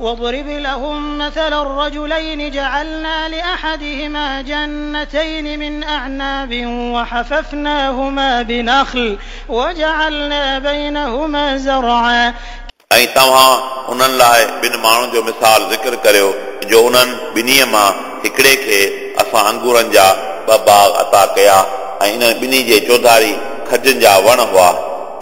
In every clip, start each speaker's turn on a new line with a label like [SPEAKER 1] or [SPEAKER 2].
[SPEAKER 1] واضرب لهم مثل الرجلين جعلنا لأحدهما جنتين من أعناب وحففناهما بنخل وجعلنا بينهما زرعا.
[SPEAKER 2] ऐं तव्हां उन्हनि लाइ ॿिनि माण्हुनि जो मिसाल ज़िक्र करियो जो उन्हनि ॿिन्ही मां हिकिड़े खे असां अंगूरनि जा ॿ बाग़ अता कया ऐं इन्हनि ॿिन्ही जे चौधारी खजनि जा वण हुआ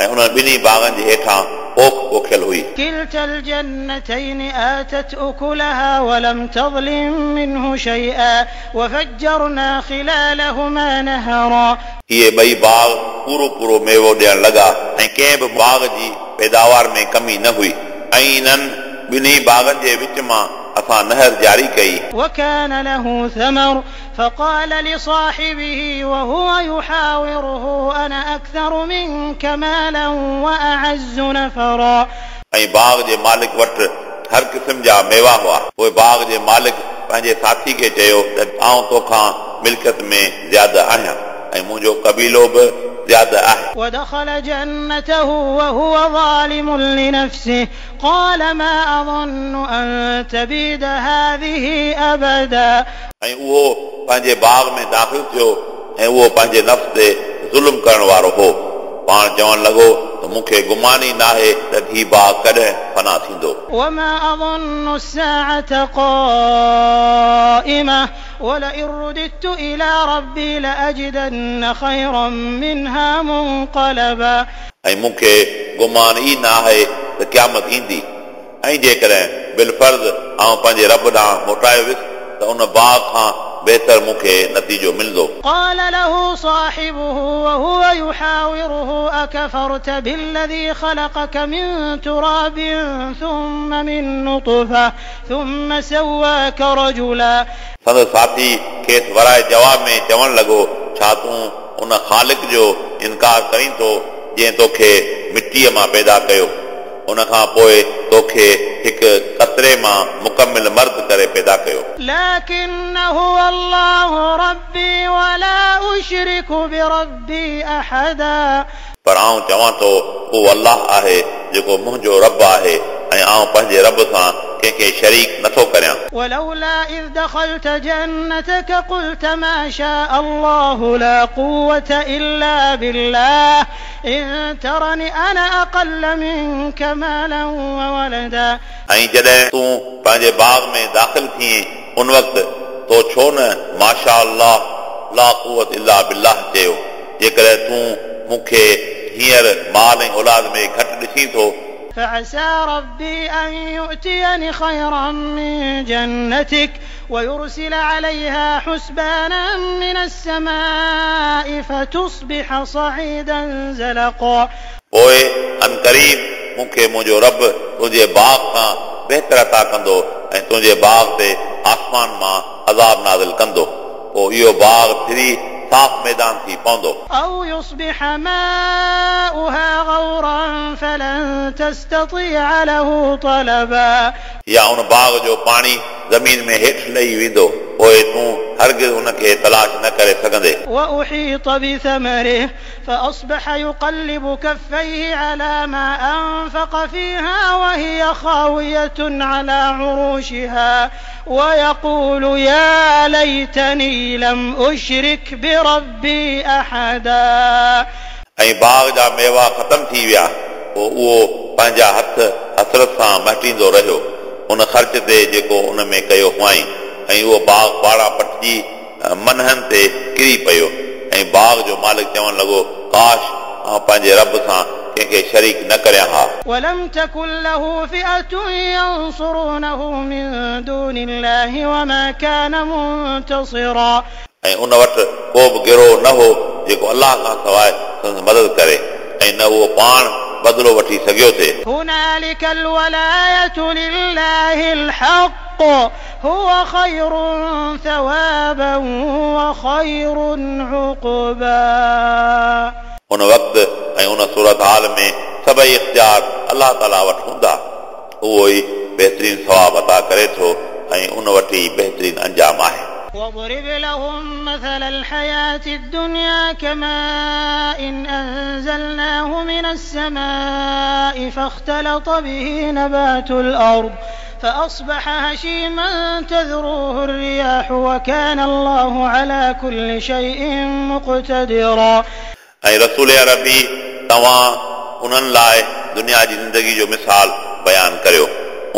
[SPEAKER 2] ऐं उन्हनि ॿिन्ही बाग़नि जे हेठां पोख पोखियल हुई।
[SPEAKER 1] كلتا الجنتين آتت أكلها ولم تظلم منه شيئا وفجرنا خلالهما نهرا.
[SPEAKER 2] इहे ॿई बाग़ पूरो पूरो मेवो ॾियण लॻा ऐं कंहिं बि बाग़ जी पैदावार में कमी न हुई ऐं इन्हनि ॿिन्ही बाग़नि जे विच मां असां नहर जारी कई।
[SPEAKER 1] وكان له ثمر فقال لصاحبه وهو يحاوره أنا أكثر منك مالا وأعز نفرا.
[SPEAKER 2] ऐं बाग़ जे मालिक वटि हर क़िस्म जा मेवा हुआ। पोइ बाग़ जे मालिक पंहिंजे साथी खे चयो त आउं तोखां मिल्कियत में ज़्यादा आहियां ऐं मुंहिंजो क़बीलो बि ज़्यादा आहे।
[SPEAKER 1] ودخل جنته وهو ظالم لنفسه قال ما أظن أن تبيد هذه أبدا.
[SPEAKER 2] ऐं उहो पंहिंजे बाग़ में दाख़िल थियो ऐं उहो पंहिंजे नफ़्स ते ज़ुल्म करण वारो हो। पाण चवणु लॻो त मूंखे गुमान ई नाहे त ही बाग़ कॾहिं फना थींदो।
[SPEAKER 1] وما أظن الساعة قائمة ولئن رددت إلى ربي لأجدن خيرا منها منقلبا.
[SPEAKER 2] ऐं मूंखे गुमान ई न आहे त क़यामत ईंदी ऐं जेकॾहिं बिलफ़र्ज़ आउं पंहिंजे रब ॾांहुं मोटायो वियुसि त उन बाग़ खां बहितर मूंखे नतीजो मिलंदो।
[SPEAKER 1] قال له صاحبه وهو يحاوره أكفرت بالذي خلقك من تراب ثم من نطفة ثم سواك رجلا.
[SPEAKER 2] संदसि साथी खेसि वराए जवाब में चवणु लॻो, छा तूं उन ख़ालिक जो इनकार करीं थो जंहिं तोखे मिटीअ मां पैदा कयो, उन खां पोइ तोखे हिकु कतरे मां मुकमिल मर्द करे पैदा कयो।
[SPEAKER 1] لكن هو الله ربي ولا أشرك بربي أحدا.
[SPEAKER 2] पर आउं चवां थो उहो अलाह आहे जेको मुंहिंजो रब आहे ऐं आउं पंहिंजे रब सां कंहिंखे शरीक नथो करियां।
[SPEAKER 1] ولولا إذ دخلت جنتك قلت ما شاء الله لا قوة إلا بالله إن ترني أنا أقل منك مالا وولدا.
[SPEAKER 2] ऐं जॾहिं तूं पंहिंजे बाग़ में दाख़िल थिए उन वक़्तु तो छो न माशा अल्लाह ला कुवत इल्ला बिल्लाह चयो, जेकॾहिं तूं मूंखे हींअर माल ऐं औलाद में घटि ॾिसीं थो।
[SPEAKER 1] فعسى ربي أن يؤتيني خيرا من جنتك ويرسل عليها حسبانا من السماء فتصبح صعيدا زلقا.
[SPEAKER 2] पोइ अनकरीब मूंखे मुंहिंजो रब तुंहिंजे बाग़ खां बहितर अता कंदो ऐं तुंहिंजे बाग़ ते आसमान मां अज़ाब नाज़िल कंदो, पोइ इहो बाग़ थिरी साफ़ मैदान थी पवंदो।
[SPEAKER 1] أو يصبح ماؤها غورا فلن تستطيع له طلبا.
[SPEAKER 2] या उन बाग़ जो पाणी ज़मीन में हेठि लही वेंदो, पोइ तूं हरगिज़ उनखे तलाश न करे सघंदे।
[SPEAKER 1] وأحيط بثمره فأصبح يقلب كفيه على ما أنفق فيها وهي خاوية على عروشها ويقول يا ليتني لم أشرك بربي أحدا.
[SPEAKER 2] ऐं बाग़ जा मेवा ख़तम थी विया, पोइ उहो पंहिंजा हथ हसरत सां महटींदो रहियो उन ख़र्च ते जेको उन में कयो हुआईं, ऐं उहो बाग़ पाड़ां पटिजी मनहनि ते किरी पियो। ऐं बाग़ जो मालिक चवणु लॻो, काश आउं पंहिंजे रब सां कंहिंखे शरीक न करियां हा।
[SPEAKER 1] ولم تكن له فئة ينصرونه من دون الله وما كان منتصرا.
[SPEAKER 2] ऐं उन वटि को बि गिरोह न हो जेको अलाह खां सवाइ संदसि मदद करे ऐं न उहो पाण बदिलो वठी सघियो थिए।
[SPEAKER 1] هنالك الولاية لله الحق هو خير ثوابا وخير عقبا.
[SPEAKER 2] उन वक़्तु ऐं उन सूरत हाल में सभई इख़्तियार अलाह ताला वटि हूंदा, उहो ई बहितरीन सवाब अता करे थो ऐं उन वटि ई बहितरीन अंजाम आहे।
[SPEAKER 1] واضرب لهم مثل الحياة الدنيا كماء أنزلناه من السماء فاختلط به نبات الأرض فأصبح هشيما تذروه الرياح وكان الله على كل شيء مقتدرا.
[SPEAKER 2] ऐं रसूल अरबी तव्हां उन्हनि लाइ दुनिया जी ज़िंदगी जो मिसाल बयानु करियो।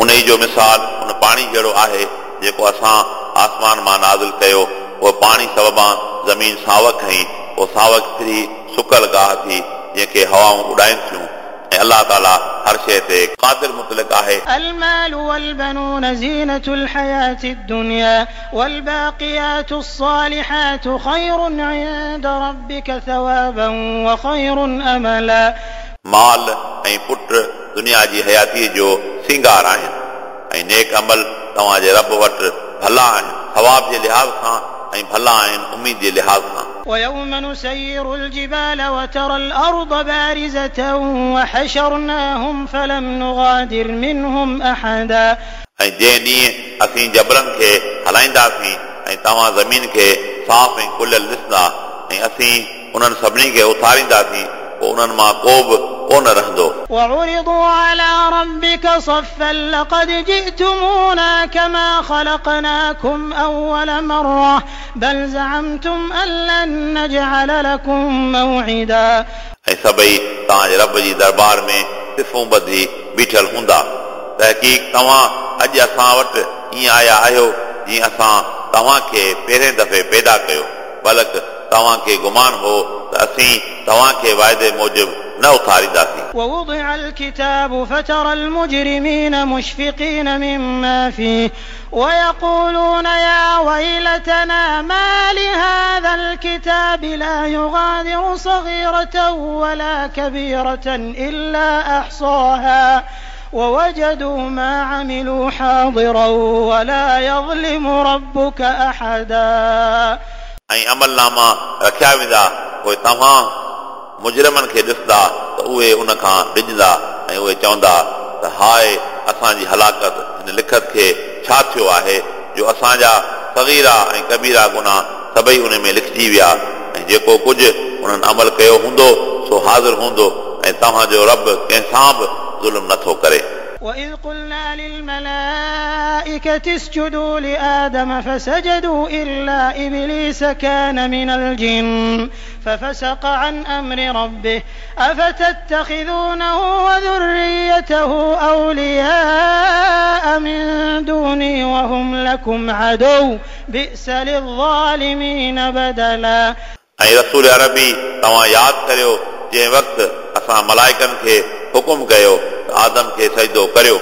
[SPEAKER 2] उन जो मिसाल उन पाणी जहिड़ो आहे जेको असां आसमान मां नाज़िल कयो। उहो पाणी सबबां ज़मीन सावक खई, पोइ सावक फिरी सुकल गाह थी जंहिंखे हवाऊं उॾाइनि थियूं। ऐं अलाह ताला हर शइ ते क़ादिर मुतलिक आहे।
[SPEAKER 1] المال والبنون زينة الحياة الدنيا والباقيات الصالحات خير عند ربك ثوابا وخير أملا.
[SPEAKER 2] माल ऐं पुट दुनिया जी हयातीअ जो सिंगार आहिनि ऐं नेक अमल तव्हांजे रब वटि भला आहिनि सवाब जे लिहाज़ खां ऐं भला आहिनि उमेद जे लिहाज़ खां।
[SPEAKER 1] ويوم نسير الجبال وترى الأرض بارزة وحشرناهم فلم نغادر منهم أحدا.
[SPEAKER 2] ऐं जंहिं ॾींहुं असीं जबलनि खे हलाईंदासीं ऐं तव्हां ज़मीन खे साफ़ ऐं खुलियल ॾिसंदा ऐं असीं उन्हनि सभिनी खे उथारींदासीं, पोइ उन्हनि मां को बि कोन रहंदो।
[SPEAKER 1] وعرضوا على ربك صفا لقد جئتمونا كما خلقناكم أول مرة بل زعمتم أن لن نجعل لكم موعدا.
[SPEAKER 2] ऐं सभई तव्हांजे रब जी दरबार में सिफूं ॿधी बीठल हूंदा। तहक़ीक़ तव्हां अॼु असां वटि ईअं आया आहियो जीअं असां तव्हांखे पहिरें दफ़े पैदा कयो, बल्कि तव्हांखे गुमान हो त असीं तव्हांखे वाइदे मूजिबि न उथारींदासीं।
[SPEAKER 1] ووضع الكتاب فترى المجرمين مشفقين مما فيه ويقولون يا ويلتنا ما لهذا الكتاب لا يغادر صغيرة ولا كبيرة إلا أحصاها ووجدوا ما عملوا حاضرا ولا يظلم ربك أحدا.
[SPEAKER 2] ऐं अमलनामा रखिया वेंदा, पोइ तव्हां मुजरिमनि खे ॾिसंदा त उहे उन खां डिॼंदा ऐं उहे चवंदा त हाय असांजी हलाकत, हिन लिखत खे छा थियो आहे जो असांजा सगीरा ऐं कबीरा गुनाह सभई उन में लिखिजी विया ऐं जेको कुझु उन्हनि अमल कयो हूंदो सो हाज़िर हूंदो ऐं तव्हांजो रब कंहिंसां बि ज़ुल्म नथो करे।
[SPEAKER 1] وإذ قلنا للملائكة اسجدوا لآدم فسجدوا إلا إبليس كان من الجن ففسق عن أمر ربه أفتتخذونه وذريته أولياء من دوني وهم لكم عدو بئس للظالمين بدلا.
[SPEAKER 2] ऐं रसूल अरबी तव्हां यादि करियो जंहिं वक़्तु असां मलाइकनि खे हुकुम कयो त आदम खे सजदो करियो,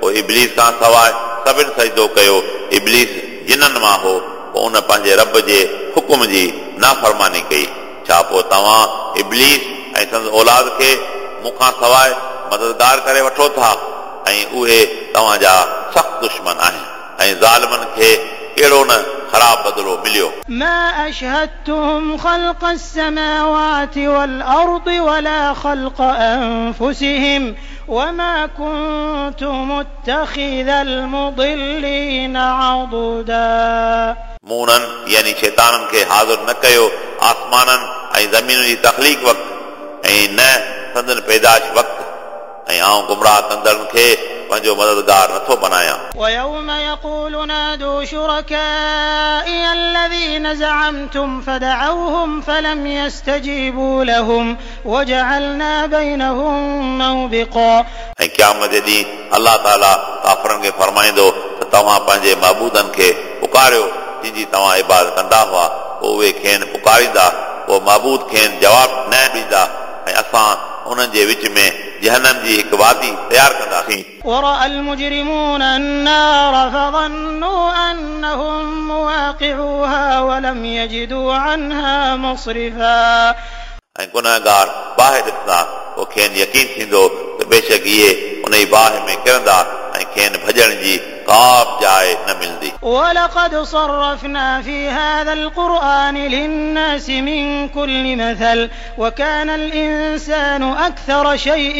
[SPEAKER 2] पोइ इबलीस खां सवाइ सभिनि सजदो कयो। इबलीस जिननि मां हो, पोइ उन पंहिंजे रब जे हुकुम जी नाफ़रमानी कई। छा पोइ तव्हां इबलीस ऐं संदसि औलाद खे मूंखां सवाइ मददगार करे वठो था ऐं उहे तव्हांजा सख़्तु दुश्मन आहिनि ऐं ज़ालिमनि खे कहिड़ो न ख़राब बदिलो मिलियो।
[SPEAKER 1] ما أشهدتهم خلق السماوات والأرض ولا خلق أنفسهم وما كنت متخذ المضلين عضدا.
[SPEAKER 2] मूं उन्हनि यानी शैताननि खे हाज़िर न कयो आसमाननि ऐं ज़मीन जी तख़लीक़ वक़्तु ऐं न संदन पैदाइश वक़्तु, ऐं आउं गुमराह कंदड़नि खे पंहिंजो मददगार नथो बनायां।
[SPEAKER 1] ويوم يقول نادوا شركائي الذين زعمتم فدعوهم فلم يستجيبوا لهم وجعلنا بينهم موبقا.
[SPEAKER 2] ऐं क़यामत जे ॾींहुं अलाह ताला काफ़रनि खे फरमाईंदो त तव्हां पंहिंजे महबूदनि खे पुकारियो जिन जी तव्हां इबादत कंदा हुआ, पोइ उहे खेनि पुकारींदा, पोइ महबूद खेनि जवाब न ॾींदा ऐं असां उन्हनि जे विच में जहनम जी हिकु वादी तयारु कंदासीं।
[SPEAKER 1] ورأى المجرمون النار فظنوا أنهم مواقعوها ولم يجدوا عنها مصرفا.
[SPEAKER 2] ऐं गुनहगार बाहि ॾिसंदा, पोइ खेनि यकीन थींदो त बेशक इहे उन ई बाहि में किरंदा ऐं खेनि भॼण जी का बि जाइ न मिलंदी।
[SPEAKER 1] ولقد صرفنا في هذا القرآن للناس من كل مثل وكان الإنسان أكثر شيء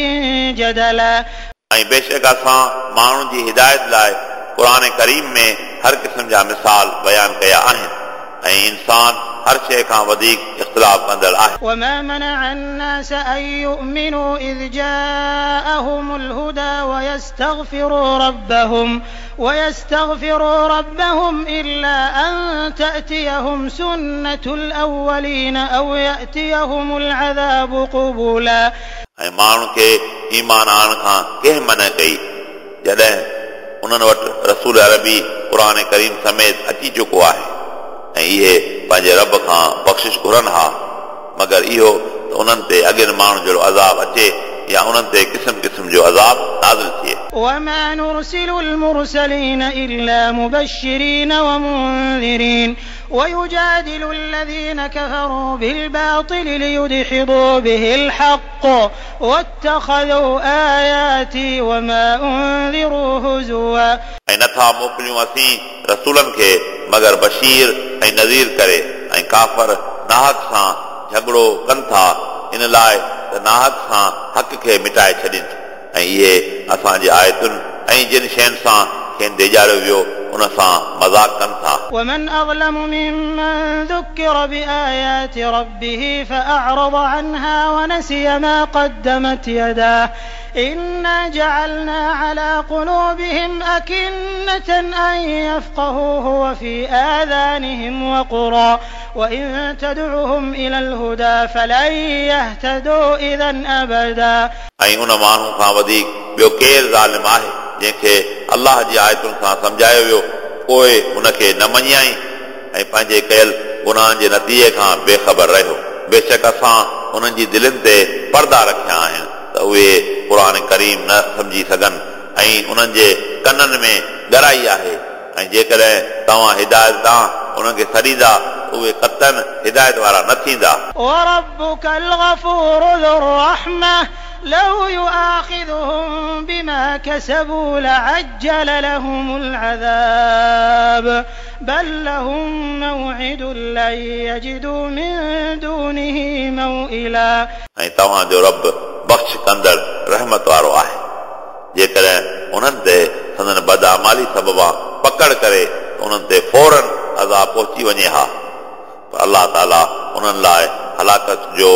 [SPEAKER 1] جدلا.
[SPEAKER 2] ऐं बेशक असां माण्हुनि जी हिदायत लाइ क़ुर करीम में हर क़िस्म जा मिसाल बयानु कया आहिनि ऐं इंसान हर शइ खां वधीक इख़्तिलाफ़ कंदड़ आहे।
[SPEAKER 1] وما منع الناس أن يؤمنوا إذ جاءهم الهدى ويستغفروا ربهم إلا أن تأتيهم سنة الأولين أو يأتيهم العذاب قبلا।
[SPEAKER 2] ऐं माण्हुनि खे ईमान आणण खां कंहिं मना कई जॾहिं उन्हनि वटि रसूल अरबी क़ुर करीम समेत अची चुको आहे ऐं इहे पंहिंजे रब खां बख़्शिश घुरनि हा, मगर इहो त उन्हनि ते अॻियनि माण्हुनि जहिड़ो अज़ाब अचे या उन्हनि ते क़िस्म क़िस्म जो अज़ाब नाज़िल थिए।
[SPEAKER 1] وما نرسل المرسلين إلا مبشرين ومنذرين ويجادل الذين كفروا بالباطل ليدحضوا به الحق واتخذوا آياتي وما أنذروا هزوا।
[SPEAKER 2] ऐं नथा मोकिलियूं असीं रसूलनि खे मगर बशीर ऐं नज़ीर करे, ऐं काफ़र नाहक सां झगड़ो कनि था इन लाइ त नाहक सां हक़ खे मिटाए छॾनि, ऐं इहे असांजी आयतुनि ऐं जिन शयुनि सां खेनि ॾेजारियो वियो उन सां मज़ाक कनि था।
[SPEAKER 1] ومن أظلم ممن ذكر بآيات ربه فأعرض عنها ونسي ما قدمت يداه إنا جعلنا على قلوبهم أكنة أن يفقهوه وفي آذانهم وقرا وإن تدعهم إلى الهدى فلن يهتدوا إذا أبدا।
[SPEAKER 2] ऐं उन माण्हू खां वधीक ॿियो केरु ज़ालिम आहे जंहिंखे अलाह जी आयतुनि सां सम्झायो वियो पोइ उनखे न मञियाई ऐं पंहिंजे कयल गुनाहनि जे नतीजे खां बेख़बर रहियो। बेशक असां उन्हनि जी दिलनि ते पर्दा रखिया आहिनि त उहे क़ुर करीम न सम्झी सघनि ऐं उन्हनि जे कननि में ॻराई आहे, ऐं जेकॾहिं तव्हां हिदायत ॾांहुं उन्हनि खे सॾींदा उहे कतन हिदायत वारा न थींदा।
[SPEAKER 1] وربك الغفور ذو الرحمة لو يؤاخذهم بما كسبوا لعجل لهم العذاب بل لهم موعد لن يجدوا من دونه موئلا।
[SPEAKER 2] ऐं तव्हांजो रब बख़्श कंदड़ रहमत वारो आहे, जेकॾहिं उन्हनि ते संदन बदआमाली सबबा पकड़ करे उन्हनि ते फौरन अज़ाब पहुची वञे हा, पर अलाह ताला उन्हनि लाइ हलाकत जो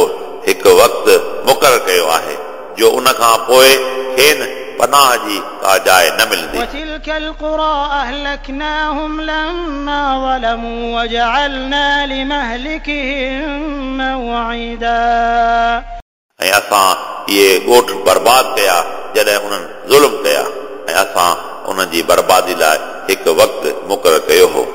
[SPEAKER 2] हिकु वक़्तु मुक़ररु कयो आहे जो उन खां पोइ खेनि पनाह जी का जाइ न मिलंदी।
[SPEAKER 1] وتلك القرى أهلكناهم لما ظلموا وجعلنا لمهلكهم موعدا।
[SPEAKER 2] ऐं असां इहे ॻोठ बर्बाद कया जॾहिं उन्हनि ज़ुल्म कया, ऐं असां उन्हनि जी बर्बादी लाइ हिकु वक़्तु मुक़ररु कयो हो।